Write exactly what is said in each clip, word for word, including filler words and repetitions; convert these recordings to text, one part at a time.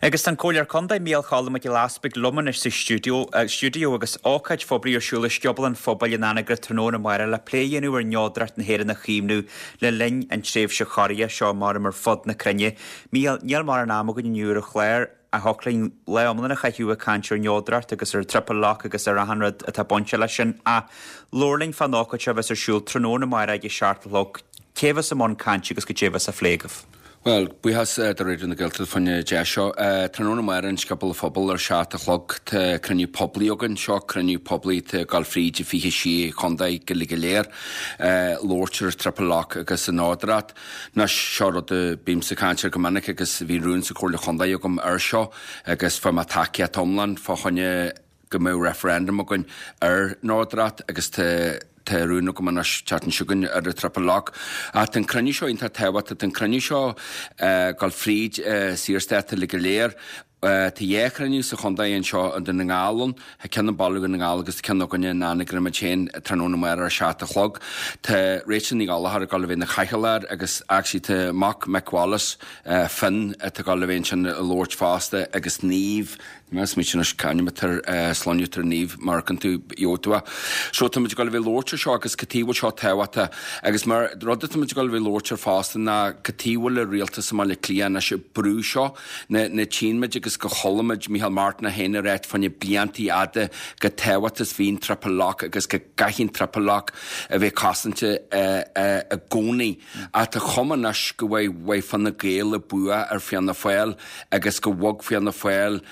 Agus an Comhairleoir Contae Mícheál Cholm Mac Giolla Easbuig liom anois sa stiúideo stiúideo agus ócáid phoiblí ar siúl i Scioból an Phobail in Anagaire tráthnóna amárach le plé a dhéanamh ar neodracht na hÉireann a chaomhnú le linn an tréimhse chorraithe seo mar ar fud na cruinne. Mícheál níl mórán ama againn inniu ar an chlár a thiocfadh linn lá iomlán a chaitheamh ag caint ar neodracht agus ar triple lock agus ar achan rud atá bainte leis sin ach labhair linn fán ócáid seo bheas ar siúl tráthnóna amárach ag a seacht a chlog cé bheas i mbun cainte agus cad é bheas á phlé agaibh. Well, buíochas do Raidió na Gaeltachta faoin deis seo. Tráthnóna amárach in Scioból an Phobail ar seacht a chlog tá cruinniú poiblí againn seo cruinniú poiblí tá ag gabháil fríd an fiche sé chontae go le go léir labhairt ar triple lock agus an neodracht. Anois seo rud a bímsa ag caint air go minic agus bhí rún sa Chomhairle Chontae agam ar seo agus fuair mé tacaíocht iomlán fá choinne go mbeadh referendum againn ar neodracht agus tá tá rún agam anois teacht chugainn ar an triple lock. Ach an cruinniú seo iontach tábhachtach an cruinniú seo gabháil fríd Saorstát le go léir. Tá dhá chruinniú sa chontae anseo an Dún na nGall ann, Tá ceann i mBaile Dhún na nGall agus ceann againne in Anagaire muid féin tráthnóna amárach ar seacht a chlog. Tá Rachel Ní Ghallchóir ag gabháil a bheith ina cathaoirleach agus actually tá mac Mick Wallace Finn atá ag gabháil a bheith ansin ag labhairt fosta agus Niamh Mes mí sin caiimitar sláútar níomh mar an tú jótua. So tá muid ag gabháil a bheith labhairt seo agus cad chuige bhfuil seo tábhachtach agus mar rud tá muid ag gabháil a bheith labhairt fosta ná cad chuige bhfuil an rialtas i mBaile Átha Cliath anois ag brú seo na na tchímid agus go chuala muid Micheál Martin féin ag ráit fá choinne bliantaí fhada go tábhachtach is bhí an triple lock agus go gcaithfidh an triple lock a bheith cosanta i gcónaí. Ach tá cuma anois go bhfuil Fine Gael ag bua ar Fianna Fáil agus go bhog Fianna Fáil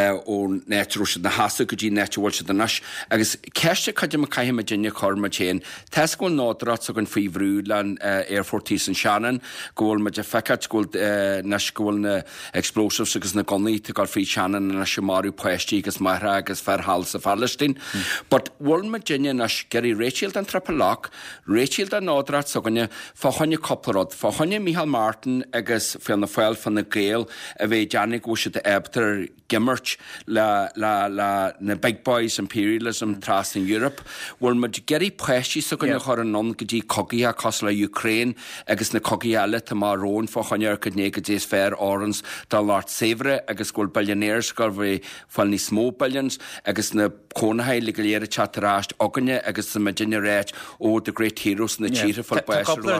ón áit a raibh siad ina sheasamh go dtí an áit a bhfuil siad anois. Agus ceist cad é caithfidh muid duine chur muid féin. Tá go bhfuil neodracht againn faoi bhrú le aerfort thíos an Shannon, go bhfuil muid ag feiceáil go bhfuil anois go bhfuil na explosives agus na gunnaí ag gabháil fríd Shannon anois ag marú páistí agus máithreacha agus fear thall sa Phalaistín. But bhfuil muid duine anois ag iarraidh réiteach den triple lock, réiteach den neodracht s'againne fá choinne cúpla rud, fá choinne Micheál Martin agus Fianna Fáil Fine Gael a bheith déanamh go bhfuil siad ábalta imirt le, le, le na big boys imperialism trasna Europe. Bhfuil muid ag iarraidh páistí s'againne yeah. chur anonn go dtí cogaithe cosúil le Ukraine agus na cogaithe eile tá mar rón fá choinne ar go go dtí is fearr orans dá lucht saibhre agus go bhfuil billionaires go bhfuil fáil níos mó billions agus na cónaithe le go léir teacht ar ais againne agus sa muidinne ráit ó the great heroes na tíre fáil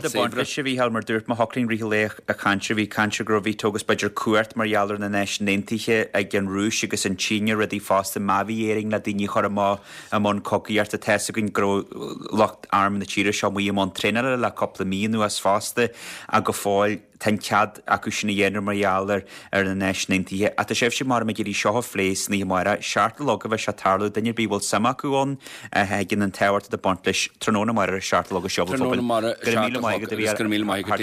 saibhre. Se bhí mar dúirt má thoclaín ri a chainte bhí cainte go bhí tugus b'fhéidir cuairt mar gheall ar na Náisiúin Aontaithe ag an Rúis agus an tSín rudaí fosta má bhí Éirinn le daoine chur amach i mbun cogaíochta tá againn go lucht arm na tíre seo mu mbun traenála le cúpla mí anuas fosta a go fóill tá cead acu sin a dhéanamh mar gheall ar ar na Náisiúin Aontaithe. A tá sibhse mar me irí seo phlé sna amárach seacht a chlog a bheidh sé tarlú duine bí bhfuil suim acu ann ag an tábhacht de baint leis tráthnóna amárach seacht a chlog seo. Go míle maith go míle maith go